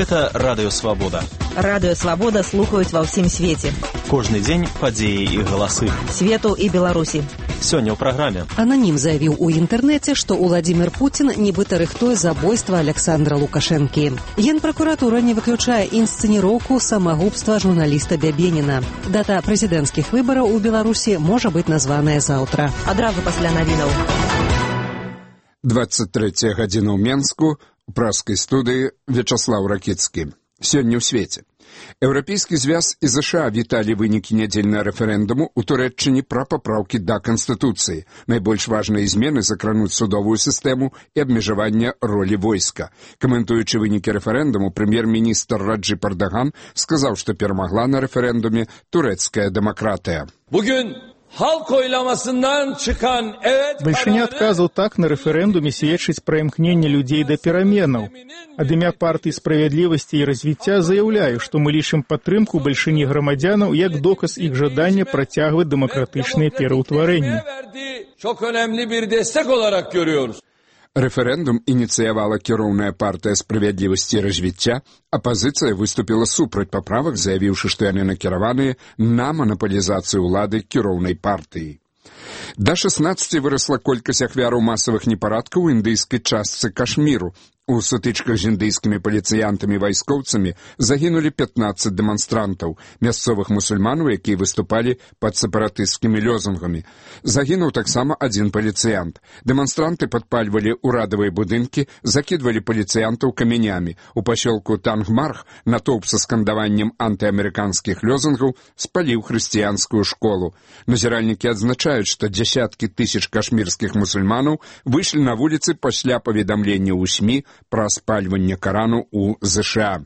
Гэта Радыё Свабода. Радыё Свабода слухаюць ва ўсім свеце. Кожны дзень падзеі і галасы. Свету і Беларусі. Сёння ў праграме. Ананім заявіў у інтэрнэце, што Уладзімір Пуцін нібыта рыхтуе забойства Александра Лукашэнкі. Генпракуратура не выключае інсцэніроўку самагубства журналіста Бябеніна. Дата прэзідэнцкіх выбараў у Беларусі можа быць названая заўтра. Адразу пасля навінаў. 23 гадзіна ў Менску, у праскай студыі Вячаслаў Ракіцкі. Сёння ў свеце. Еўрапейскі звяз і ЗША віталі вынікі нядзельнага рэферэндуму ў Турэччыне пра папраўкі да Канстытуцыі. Найбольш важныя змены закрануць судовую сістэму і абмежаванне ролі войска. Каментуючы вынікі рэферэндуму, прэм'ер-міністр Раджып Эрдоган сказаў, што перамагла на рэферэндуме турэцкая дэмакратыя. Большыня адказаў так на рэферэндуме сведчыць пра імкненне людзей да пераменаў. Ад імя партыі справядлівасці і развіцця заяўляю, што мы лічым падтрымку большыні грамадзянаў як доказ іх жадання працягваць дэмакратычныя пераўтварэнні. Рэферэндум ініцыявала кіроўная партыя справядлівасці і развіцця, апазіцыя выступіла супраць паправак, заявіўшы, што яны накіраваныя на манапалізацыю ўлады кіроўнай партыі. Да 16 вырасла колькасць ахвяраў масавых непарадкаў у індыйскай частцы Кашміру. У сутычках з індыйскімі паліцыянтамі і вайскоўцамі загінулі 15 дэманстрантаў, мясцовых мусульманаў, якія выступалі пад сепаратысцкімі лозунгамі. Загінуў таксама адзін паліцыянт. Дэманстранты падпальвалі ўрадавыя будынкі, закідвалі паліцыянтаў камянямі. У пасёлку Тангмарх натоўп са скандаваннем антыамерыканскіх лозунгаў спаліў хрысціянскую школу. Назіральнікі адзначаюць, што дзясяткі тысяч кашмірскіх мусульманаў выйшлі на вуліцы пасля паведамлення ў СМІ пра спальванне Карану ў ЗША.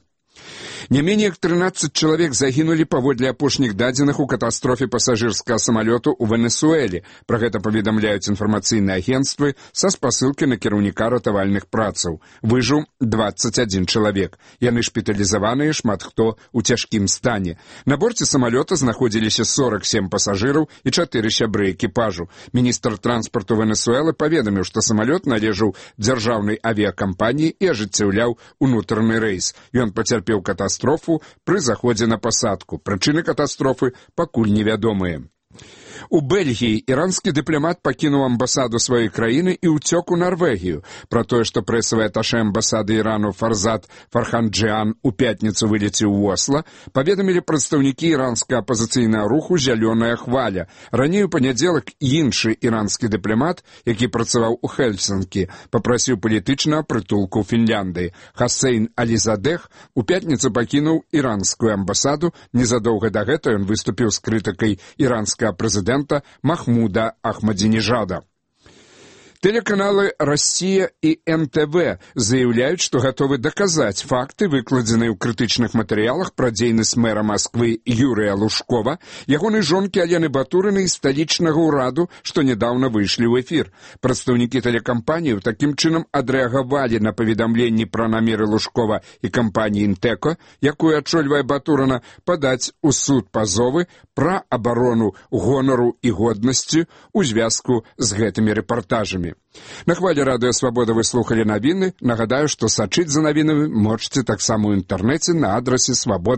Не менее 13 чалавек загінулі паводле апошніх дадзеных у катастрофе пасажырскага самалёту ў Венесуэле. Пра гэта паведамляюць інфармацыйныя агенцтвы са спасылкай на кіраўніка ратавальных працаў. Выжыў 21 чалавек. Яны шпіталізаваныя, шмат хто ў цяжкім стане. На борце самалёта знаходзіліся 47 пасажыраў і 4 сябры экіпажу. Міністр транспарту Венесуэлы паведаміў, што самалёт належаў дзяржаўнай авіякампаніі і ажыццяўляў унутраны рэйс. Ён пацярпеў катастрофу пры заходзе на пасадку. Прычыны катастрофы пакуль невядомыя. У Бельгіі іранскі дыпламат пакінуў амбасаду сваёй краіны і ўцёк у Нарвегію. Пра тое, што прэсавы аташэ амбасады Ірану Фарзат Фарханджиан у пятніцу вылецеў у Осла, паведамілі прадстаўнікі іранскага апазіцыйнага руху «Зялёная хваля». Раней у панядзелак іншы іранскі дыпламат, які працаваў у Хельсінкі, папрасіў палітычнага прытулку ў Фінляндыі. Хасейн Алізадэх у пятніцу пакінуў іранскую амбасаду. Незадоўга да гэта ён выступіў з крытыкай іранскага прэзідэнта Махмуда Ахмадзінежада. Тэлеканалы «Россия» и НТВ заявляюць, што гатовы даказаць факты, выкладзеныя ў крытычных матэрыялах пра дзейнасць мэра Масквы Юрыя Лужкова, ягонай жонкі Алены Батурынай і сталічнага ўраду, што нядаўна выйшлі ў эфір. Прадстаўнікі тэлекампаніяў такім чынам адрэагавалі на паведамленні пра намеры Лужкова і кампаніі «Інтэко», якую ачольвае Батурына, падаць у суд пазовы пра абарону гонару і годнасці ў звязку з гэтымі рэпартажамі. На хвалі Радыё Свабода вы слухалі навіны. Нагадаю, што сачыць за навінамі можаце таксама ў інтэрнэце на адрасе свабода.